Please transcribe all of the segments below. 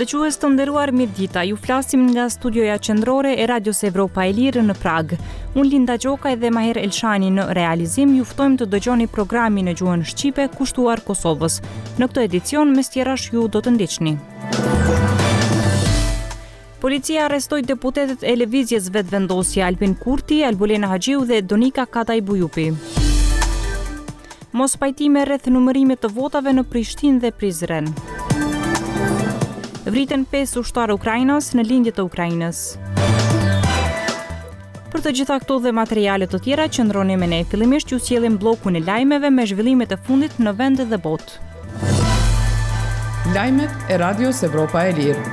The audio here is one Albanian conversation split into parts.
Dëgjues të nderuar mirëdita, ju flasim nga studioja qendrore e Radios Evropa e Lirë në Pragë. Unë Linda Gjokaj dhe Mahir Elshani në realizim ju ftojmë të dëgjoni programin në gjuhën shqipe kushtuar Kosovës. Në këtë edicion mes tjerash ju do të ndiqni. Policia arrestoi deputetët e Lëvizjes Vetëvendosje Albin Kurti, Albulena Haxhiu dhe Donika Kadaj Bujupi. Mospajtime rreth numërimit të votave në Prishtinë dhe Prizren. Vriten 5 ushtarë ukrainas në lindje të Ukrainës. Për të gjitha këto dhe materiale të tjera qëndroni me ne. Fillimisht ju sjellim bllokun e lajmeve me zhvillimet e fundit në vend dhe botë. Lajmet e Radios Evropa e Lirë.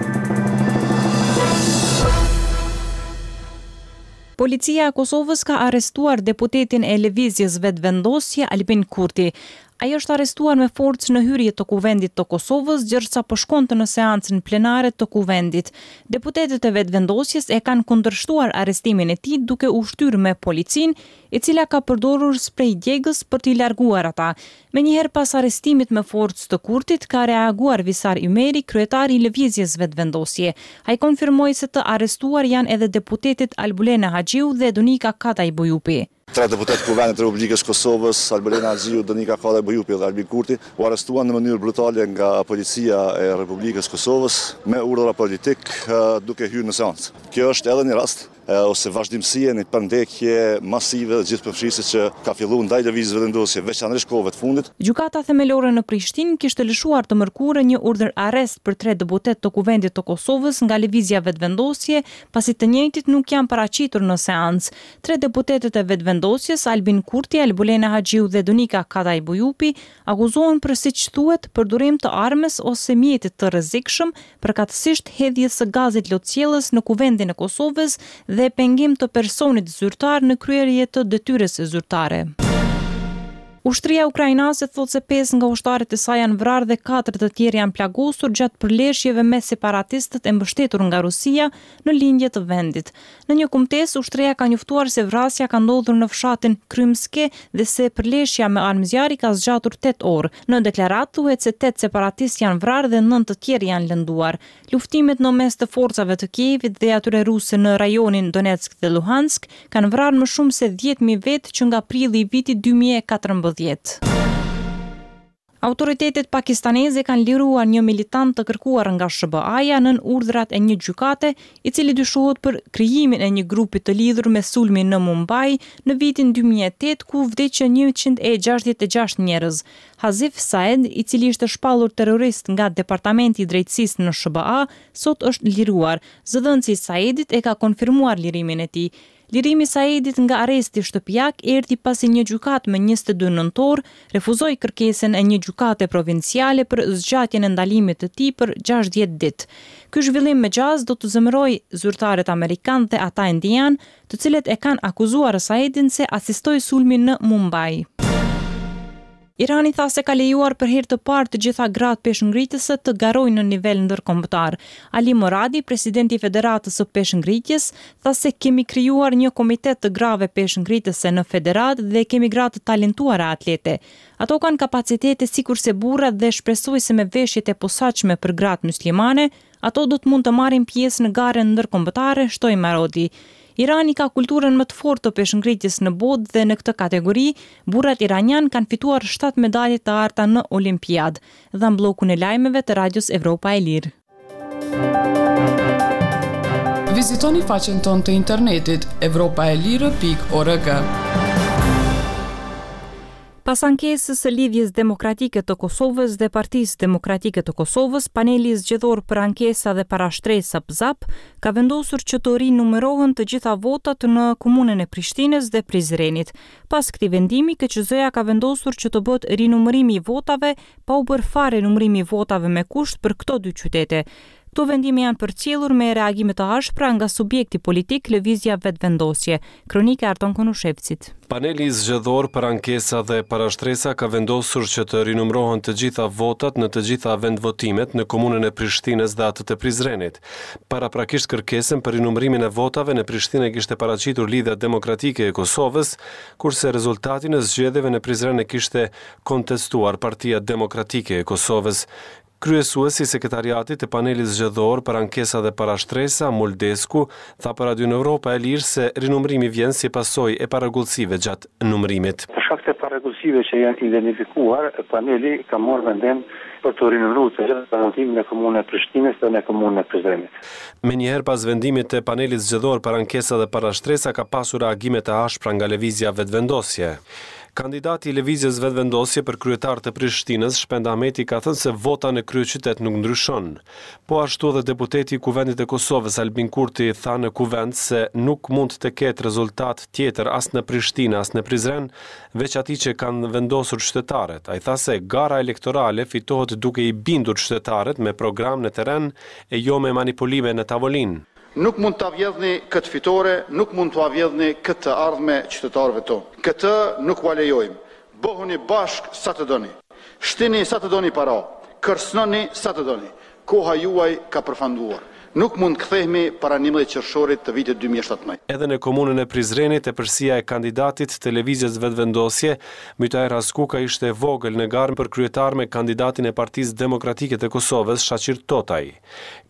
Policia e Kosovës ka arrestuar deputetin e Lëvizjes Vetëvendosje, Albin Kurti. Ai është arrestuar me forcë në hyrje të Kuvendit të Kosovës gjersa po shkonte në seancën plenare të Kuvendit. Deputetët e Vetëvendosjes e kanë kundërshtuar arrestimin e tij duke u shtyrë me policinë, e cila ka përdorur sprej djegës për t'i larguar ata. Menjëherë pas arrestimit me forcë të Kurtit, ka reaguar Visar Ymeri, kryetar i Lëvizjes Vetëvendosje. Ai konfirmoi se të arrestuar janë edhe deputetet Albulena Haxhiu dhe Donika Kadaj Bujupi. Tre deputetë të Kuvendit të Republikës së Kosovës, Albulena Haxhiu, Donika Kadaj Bujupi dhe Albin Kurti, u arrestuan në mënyrë brutale nga Policia e Republikës së Kosovës me urdhra politikë duke hyrë në seancë. Kjo është edhe një rast ose vazhdimësi e një përndjekje masive dhe gjithëpërfshirëse që ka filluar ndaj Lëvizjes Vetëvendosje, veçanërisht kohëve të fundit. Gjykata Themelore në Prishtinë kishte lëshuar të mërkurën një urdhër-arrest për tre deputetë të Kuvendit të Kosovës nga Lëvizja Vetëvendosje, pasi të njëjtit nuk janë paraqitur në seancë. Tre deputetët e Vetëvendosjes, Albin Kurti, Albulena Haxhiu dhe Donika Kadaj Bujupi, akuzohen për siç thuhet, përdorim të armës ose mjetit të rrezikshëm, përkatësisht hedhjes së gazit lotsjellës në Kuvendin e Kosovës dhe pengim të personit zyrtar në kryerje të detyrës zyrtare. Ushtria ukrainase thotë se pesë nga ushtarët e saj janë vrarë dhe katër të tjerë janë plagosur gjatë përleshjeve me separatistët e mbështetur nga Rusia në lindje të vendit. Në një kumtesë, ushtria ka njoftuar se vrasja ka ndodhur në fshatin Krymske dhe se përleshja me armë zjarri ka zgjatur tetë orë. Në deklaratë thuhet se tetë separatistë janë vrarë dhe nëntë të tjerë janë lënduar. Luftimet në mes të forcave të Kievit dhe atyre ruse në rajonin Donetsk dhe Luhansk kanë vrarë më shumë se 10,000 vetë që nga prilli i vitit 2014. Autoritetet pakistaneze kanë liruar një militant të kërkuar nga SHBA-ja nën urdhrat e një gjykate, i cili dyshohet për krijimin e një grupi të lidhur me sulmin në Mumbai në vitin 2008 ku vdiqën 166 njerëz. Hazif Saeed, i cili ishte shpallur terrorist nga Departamenti i Drejtësisë në SHBA, sot është liruar. Zëdhënësi i Saeedit e ka konfirmuar lirimin e tij. Lirimi i Saeedit nga arresti shtëpiak erdhi pasi një gjykatë më 22 nëntor refuzoi kërkesën e një gjykate provinciale për zgjatjen e ndalimit të tij për 60 ditë. Ky zhvillim me gjasë do të zemërojë zyrtarët amerikanë dhe ata indianë, të cilët e kanë akuzuar Saeedin se asistoi sulmin në Mumbai. Irani tha se ka lejuar për herë të parë të gjitha gratë peshëngritëse të garojnë në nivel ndërkombëtar. Ali Moradi, presidenti i Federatës së Peshëngritjes, tha se kemi krijuar një komitet të grave peshëngritëse në federatë dhe kemi gra të talentuara atlete. Ato kanë kapacitete sikurse burrat dhe shpresoj se me veshjet e posaçme për gratë myslimane, Ato do të mund të marrin pjesë në garën ndërkombëtare, shtoi Moradi. Irani ka kulturën më të fortë të peshëngritjes në botë dhe në këtë kategori, burrat iranianë kanë fituar 7 medalje të arta në Olimpiadë. Dhamë bllokun e lajmeve të Radios Evropa e Lirë. Vizitoni faqen tonë të internetit evropaelire.org. Pas ankesës së Lidhjes Demokratike të Kosovës dhe Partisë Demokratike të Kosovës, Paneli Zgjedhor për Ankesa dhe Parashtresa PZAP ka vendosur që të rinumërohen të gjitha votat në Komunën e Prishtinës dhe Prizrenit. Pas këtij vendimi, KQZ-ja ka vendosur që të bëhet rinumërimi i votave pa u bërë fare numërimi i votave me kusht për këto dy qytete. Këto vendime janë përcjellur me reagime të ashpra nga subjekti politik Lëvizja Vetëvendosje. Kronika e Arton Konushevcit. Paneli Zgjedhor për Ankesa dhe Parashtresa ka vendosur që të rinumërohen të gjitha votat në të gjitha vendvotimet në Komunën e Prishtinës dhe atë të Prizrenit. Paraprakisht kërkesën për rinumërimin e votave në Prishtinë e kishte paraqitur Lidhja Demokratike e Kosovës, kurse rezultatin e zgjedhjeve në Prizren e kishte kontestuar Partia Demokratike e Kosovës. Kryesuesi i Sekretariatit të Panelit Zgjedhor për Ankesa dhe Parashtresa, Mul Desku, tha për Radion Evropa e Lirë se rinumërimi vjen si pasojë e parregullsive gjatë numërimit. Për shkak të parregullsive që janë identifikuar, paneli ka marrë vendim për të rinumëruar të gjitha vendvotimet në Komunën e Prishtinës dhe në Komunën e Prizrenit. Menjëherë pas vendimit të Panelit Zgjedhor për Ankesa dhe Parashtresa ka pasur reagime të ashpra nga Lëvizja Vetëvendosje. Kandidati i Lëvizjes Vetëvendosje për kryetar të Prishtinës, Shpend Ahmeti ka thënë se vota në kryeqytet nuk ndryshon. Po ashtu edhe deputeti i Kuvendit të Kosovës, Albin Kurti tha në Kuvend se nuk mund të ketë rezultat tjetër as në Prishtinë as në Prizren, veç atij që kanë vendosur qytetarët. Ai tha se gara elektorale fitohet duke i bindur qytetarët me program në terren e jo me manipulime në tavolinë. Nuk mund ta vjedhni këtë fitore, nuk mund t'ua vjedhni këtë të ardhme qytetarëve tonë. Këtë nuk ua lejojmë. Bëhuni bashkë sa të doni. Shtini sa të doni para. Kërcënoni sa të doni. Koha juaj ka përfunduar. Nuk mund të kthehemi para 11 qershorit të vitit 2017. Edhe në komunën e Prizrenit, epërsia e kandidatit të Lëvizjes Vetëvendosje, Mytaher Haskuka ishte e vogël në garë për kryetar me kandidatin e Partisë Demokratike të Kosovës, Shaqir Totaj.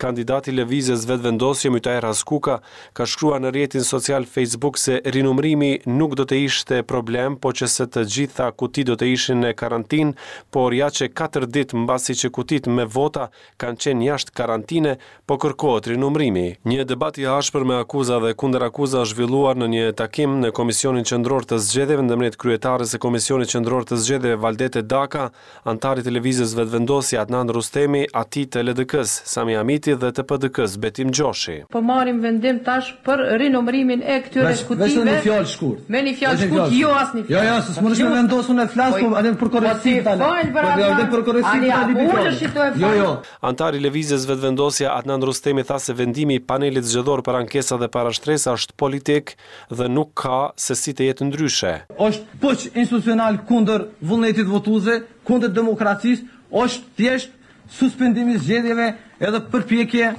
Kandidati i Lëvizjes Vetëvendosje, Mytaher Haskuka, ka shkruar në rrjetin social Facebook se rinumërimi nuk do të ishte problem po që se të gjitha kutitë do të ishin në karantinë, por ja që katër ditë mbasi që kutitë me vota kanë qenë jashtë karantine, po kërkohet rinumërimi. Një debat i ashpër me akuza dhe kundërakuza është zhvilluar në një takim në Komisionin Qendror të Zgjedhjeve ndërmjet kryetares së Komisionit Qendror të Zgjedhjeve Valdete Daka Anëtarit të Lëvizjes Vetëvendosje, Adnan Rrustemi, atij të LDK-së, Sami Hamiti dhe të PDK-së, Betim Gjoshi. Po marrim vendim tash për rinumërimin e këtyre kutive. Veç një fjalë shkurt. Me një fjalë shkurt, jo asnjë fjalë. Jo, jo, se s'mundesh me vendos unë të flas, po edhe për korrektësi tani. Po ti fal për Adnan. Për korrektësi tani. Ani, a ulesh ti e fal? Jo, jo. Anëtari i Lëvizjes Vetëvendosje, Adnan Rrustemi tha se vendimi i Panelit Zgjedhor për Ankesa dhe Parashtresa është politik dhe nuk ka se si të jetë ndryshe. Është puç institucional kundër vullnetit votuesve, kundër demokracisë, është thjesht suspendim i zgjedhjeve edhe përpjekje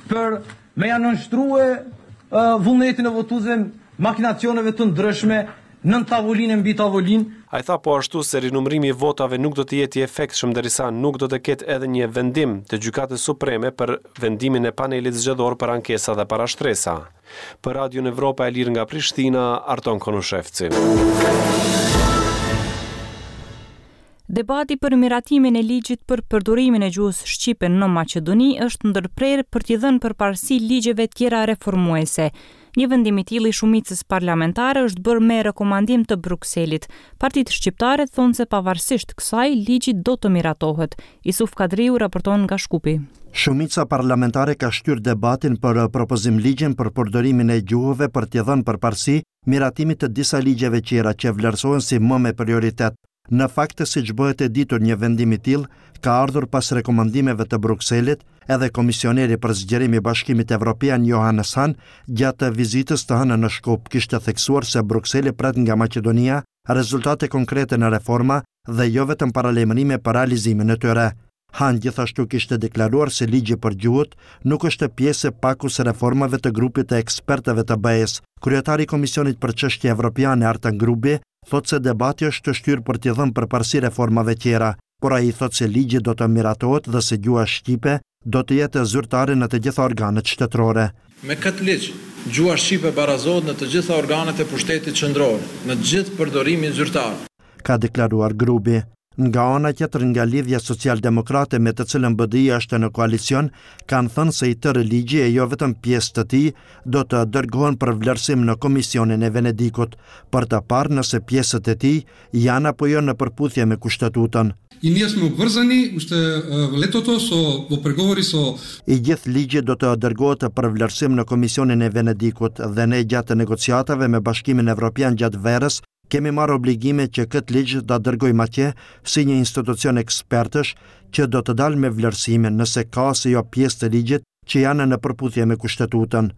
për me ja nënshtrue vullnetin e votuesve makinacioneve të ndryshme nën tavolinë e mbi tavolinë. Ai tha po ashtu se rinumërimi i votave nuk do të jetë i efektshëm derisa nuk do të ketë edhe një vendim të Gjykatës Supreme për vendimin e Panelit Zgjedhor për Ankesa dhe Parashtresa. Për Radion Evropa e Lirë nga Prishtina, Arton Konushevci. Debati për miratimin e ligjit për përdorimin e gjuhës shqipe në Maqedoni është ndërprerë për t'i dhënë përparësi ligjeve tjera reformuese. Një vendim i tillë i shumicës parlamentare është bërë me rekomandim të Brukselit. Partitë shqiptare thonë se pavarësisht kësaj, ligji do të miratohet. Isuf Kadriu raporton nga Shkupi. Shumica parlamentare ka shtyrë debatin për propozim-ligjin për përdorimin e gjuhëve për t'i dhënë përparësi miratimit të disa ligjeve tjera që vlerësohen si më me prioritet. Në fakt, siç bëhet e ditur një vendim i tillë ka ardhur pas rekomandimeve të Brukselit, edhe komisioneri për zgjerim i Bashkimit Evropian Johannes Hahn gjatë vizitës të hënën në Shkup kishte theksuar se Brukseli pret nga Maqedonia rezultate konkrete në reforma dhe jo vetëm paralajmërime për realizimin e tyre. Hahn gjithashtu kishte deklaruar se ligji për gjuhët nuk është pjesë e pakos së reformave të grupit të ekspertëve të BE-së. Kryetari i Komisionit për Çështje Evropiane Artan Grubi thotë se debati është shtyrë për t'i dhënë përparësi reformave tjera, por ai thotë se ligji do të miratohet dhe se gjuha shqipe do të jetë zyrtare në të gjitha organet shtetërore. Me këtë ligj, gjuha shqipe barazohet në të gjitha organet e pushtetit qendror, në gjithë përdorimin zyrtar. Ka deklaruar Grubi. Nga ana tjetër nga Lidhja Socialdemokrate me të cilën BDI është në koalicion, kanë thënë se i tërë ligji e jo vetëm pjesë të tij do të dërgohen për vlerësim në Komisionin e Venedikut, për të parë nëse pjesët e tij janë apo jo në përputhje me Kushtetutën. И ние сме обврзани уште летото со во преговори со I gjithë ligji do të dërgohet për vlerësim në Komisionin e Venedikut dhe ne gjatë negociatave me Bashkimin Evropian gjatë verës kemi marrë obligime që këtë ligj ta dërgojmë atje si një institucion ekspertësh që do të dalë me vlerësimin nëse ka ose jo pjesë të ligjit që janë në përputhje me Kushtetutën.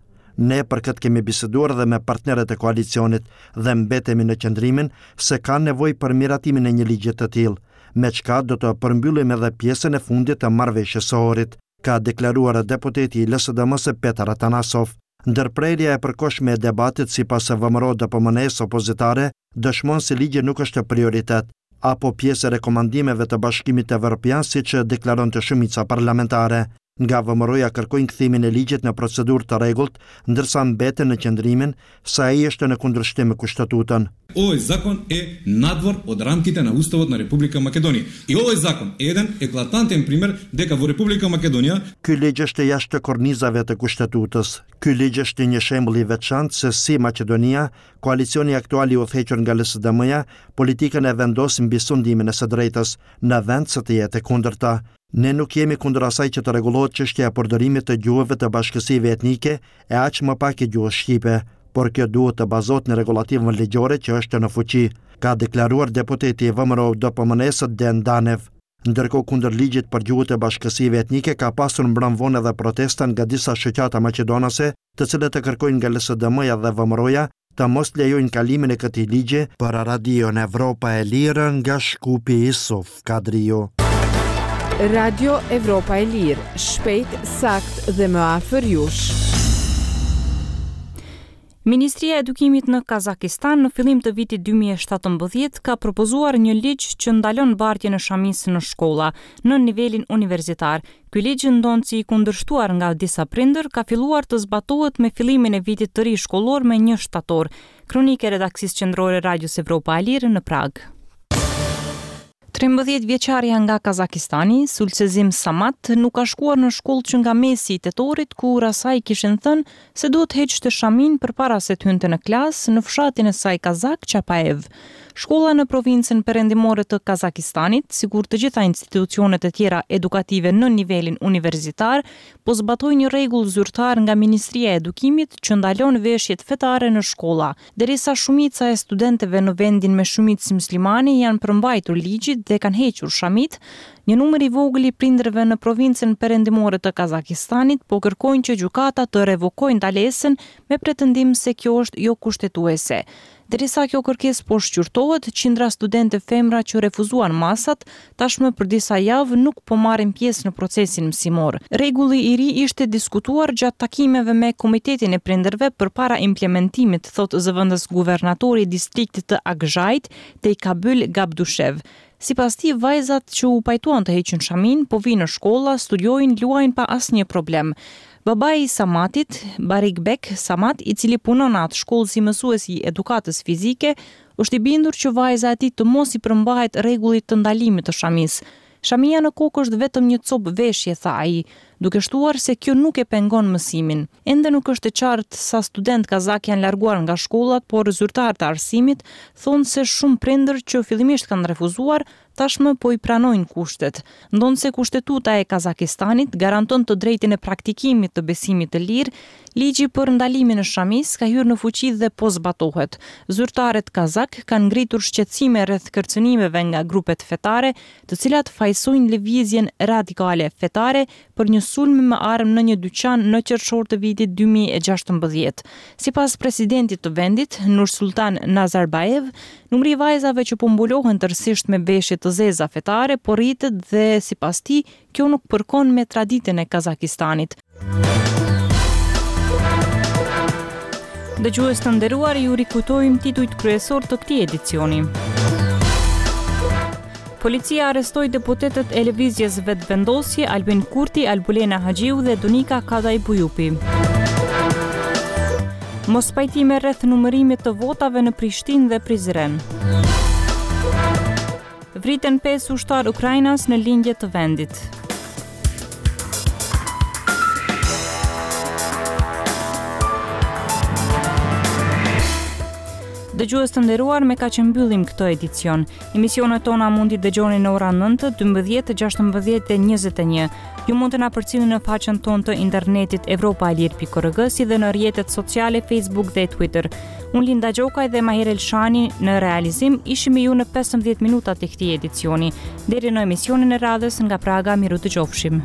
Ne për këtë kemi biseduar dhe me partnerët e koalicionit dhe mbetemi në qëndrimin se ka nevojë për miratimin e një ligji të tillë, me çka do të përmbyllim edhe pjesën e fundit të marrëveshjes së Ohrit, ka deklaruar deputeti i LSDM-së Petar Atanasov. Ndërprerja e përkohshme e debatit sipas VMRO-DPMNE-së opozitare dëshmon se ligji nuk është prioritet. apo pjesë e rekomandimeve të Bashkimit Evropian, siç deklaronte shumica parlamentare. Nga VMRO-ja kërkojnë kthimin e ligjit në procedurë të rregullt, ndërsa mbeten në qëndrimin se ai është në kundërshtim me Kushtetutën. Овој закон е надвор од рамките на Уставот на Република Македонија. И овој закон е еден еклатантен пример дека во Република Македонија Ky ligj është jashtë kornizave të Kushtetutës. Ky ligj është një shembull i veçantë se si Maqedonia, koalicioni aktual i udhëhequr nga LSDM-ja, politikën e vendos mbi sundimin e së drejtës, në vend se të jetë e kundërta. Ne nuk jemi kundër asaj që të rregullohet çështja e përdorimit të gjuhëve të bashkësive etnike e aq më pak e gjuhës shqipe, por kjo duhet të bazohet në rregullativën ligjore që është në fuqi, ka deklaruar deputeti i VMRO-DPMNE-së Den Danev. Ndërkohë kundër ligjit për gjuhët e bashkësive etnike ka pasur mbrëmë vonë edhe protesta nga disa shoqata maqedonase, të cilët kërkojnë nga LSDM-ja dhe VMRO-ja të mos lejojnë kalimin e këtij ligji për Radion Evropa e Lirë nga Shkupi Isuf Kadriu. Radio Evropa e Lirë, shpejt, saktë dhe më afër jush. Ministria e Edukimit në Kazakistan në fillim të vitit 2017 ka propozuar një ligj që ndalon bartjen e shamisë në shkolla, në nivelin universitar. Ky ligj, ndonëse i kundërshtuar nga disa prindër, ka filluar të zbatohet me fillimin e vitit të ri shkollor me një shtator. Kronikë e redaksisë qendrore Radios Evropa e Lirë në Pragë. 13 vjeçarja nga Kazakistani, Sulsezim Samat, nuk ka shkuar në shkollë që nga mesi i tetorit, kur asaj i kishin thënë se duhet të heqte shaminë përpara se të hynte në klasë në fshatin e saj kazak Chapaev. Shkolla në provincën perëndimore të Kazakistanit, sikur të gjitha institucionet e tjera edukative në nivelin universitar, po zbatojnë një rregull zyrtar nga Ministria e Edukimit që ndalon veshjet fetare në shkolla. Derisa shumica e studentëve në vendin me shumicë myslimane i janë përmbajtur ligjit dhe kanë hequr shamitë, një numër i vogël i prindërve në provincën perëndimore të Kazakistanit po kërkojnë që gjykata të revokojë ndalesën me pretendim se kjo është jokushtetuese. Derisa kjo kërkesë po shqyrtohet, qindra studente femra që refuzuan masat, tashmë për disa javë nuk po marrin pjesë në procesin mësimor. Rregulli i ri ishte diskutuar gjatë takimeve me Komitetin e Prindërve përpara implementimit, thotë zëvendës guvernatori i distriktit të Akzhait, Tejkabyl Gabdushev. Sipas tij, vajzat që u pajtuan të heqin shaminë, po vijnë në shkolla, studiojnë, luajnë pa asnjë problem. Babai i Samatit, Barikbek Samat, i cili punon në atë shkollë si mësues i edukatës fizike, është i bindur që vajza e tij të mos i përmbahet rregullit të ndalimit të shamisë. Shamia në kokë është vetëm një copë veshje, tha ai, duke shtuar se kjo nuk e pengon mësimin. Ende nuk është e qartë sa studentë kazakë janë larguar nga shkollat, por zyrtarë të arsimit thonë se shumë prindër që fillimisht kanë refuzuar, tashmë po i pranojnë kushtet. Ndonëse Kushtetuta e Kazakistanit garanton të drejtën e praktikimit të besimit të lirë, ligji për ndalimin e shamisë ka hyrë në fuqi dhe po zbatohet. Zyrtarët kazakë kanë ngritur shqetësime rreth kërcënimeve nga grupet fetare, të cilat fajësojnë lëvizjen radikale fetare për një sulm me armë në një dyqan në qershor të vitit 2016. Sipas presidentit të vendit, Nursultan Nazarbayev, numri i vajzave që po mbulohen tërësisht me veshje të zeza fetare po rritet dhe, sipas tij, kjo nuk përkon me traditën e Kazakistanit. Dëgjues të nderuar, ju rikujtojmë titujt kryesorë të këtij edicioni. Policia arrestoi deputetët e Lëvizjes Vetëvendosje, Albin Kurti, Albulena Haxhiu dhe Donika Kadaj Bujupi. Mospajtime rreth numërimit të votave në Prishtinë dhe Prizren. Vriten 5 ushtarë ukrainas në lindje të vendit. Dëgjues të nderuar, me kaq e mbyllim këtë edicion. Emisionet tona mund t'i dëgjoni në ora 9, 12, 16 dhe 21. Ju mund të na përcillni në faqen tonë të internetit evropaelire.org si dhe në rrjetet sociale Facebook dhe Twitter. Unë Linda Gjokaj dhe Mahir Elshani në realizim ishim me ju në 15 minutat e këtij edicioni. Deri në emisionin e radhës nga Praga, mirudëgjofshim.